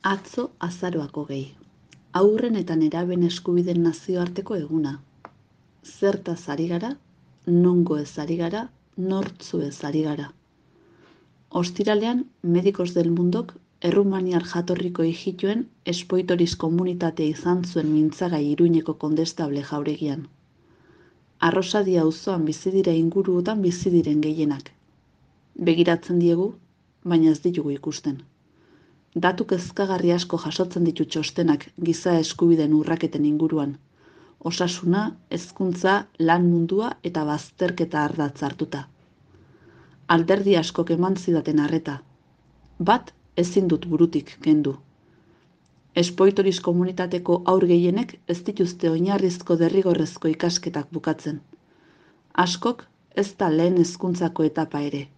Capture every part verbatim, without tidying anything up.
Atzo azaroak hogei. Haurren eta nerabeen eskubideen nazioarteko eguna. Zertaz ari gara, nongo ez ari gara, nortzu ez ari gara. Ostiralean, Medicos del Mundok errumaniar jatorriko hijituen espoitoriz komunitatea izan zuen mintzagai Iruñeko kondestable jauregian. Arrosadia auzoan bizi dira inguruotan bizi diren gehienak. Begiratzen diegu, baina ez ditugu ikusten. Datu kezkagarri asko jasotzen ditu txostenak giza eskubideen urraketen inguruan. Osasuna, hezkuntza, lan mundua eta bazterketa ardatz hartuta. Alderdi askok eman zidaten arreta. Bat ezin dut burutik kendu. Espoitoriz komunitateko haur gehienek ez dituzte oinarrizko derrigorrezko ikasketak bukatzen. Askok ez da lehen hezkuntzako etapa ere.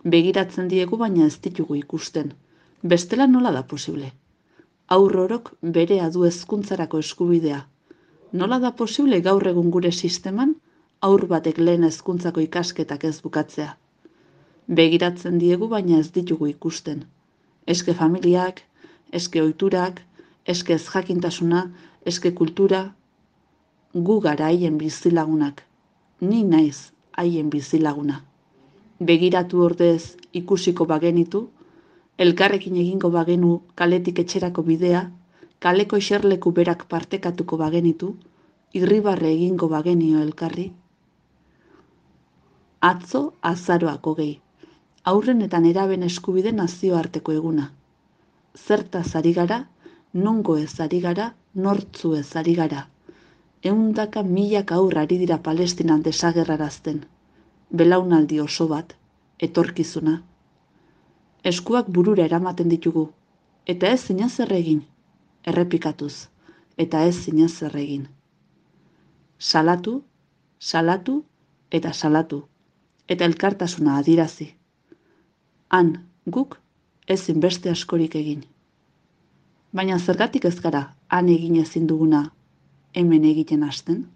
Begiratzen diegu baina ez ditugu ikusten. Bestela nola da posible? Haur orok berea du hezkuntzarako eskubidea. Nola da posible gaur egun gure sisteman haur batek lehen hezkuntzako ikasketak ez bukatzea? Begiratzen diegu baina ez ditugu ikusten. Eske familiak, eske ohiturak, eske ez jakintasuna, eske kultura, gu gara haien bizilagunak. Ni naiz haien bizilaguna. Begiratu ordez ikusiko bagenitu, elkarrekin egingo bagenu kaletik etxerako bidea, kaleko eserleku berak partekatuko bagenitu, irribarre egingo bagenio elkarri. Atzo azaroak hogei. Haurren eta nerabeen eskubide nazioarteko eguna. Zertaz ari gara, nongo ez ari gara, nortzu ez ari gara. Ehundaka milaka haur ari dira Palestinan desagerrarazten. Belaunaldi oso bat, etorkizuna. Eskuak burura eramaten ditugu, eta ez zinez zer egin, errepikatuz, eta ez zinez zer egin. Salatu, salatu eta salatu, eta elkartasuna adirazi. Han, guk, ezin beste askorik egin. Baina zergatik ez gara han egin ezin duguna hemen egiten hasten?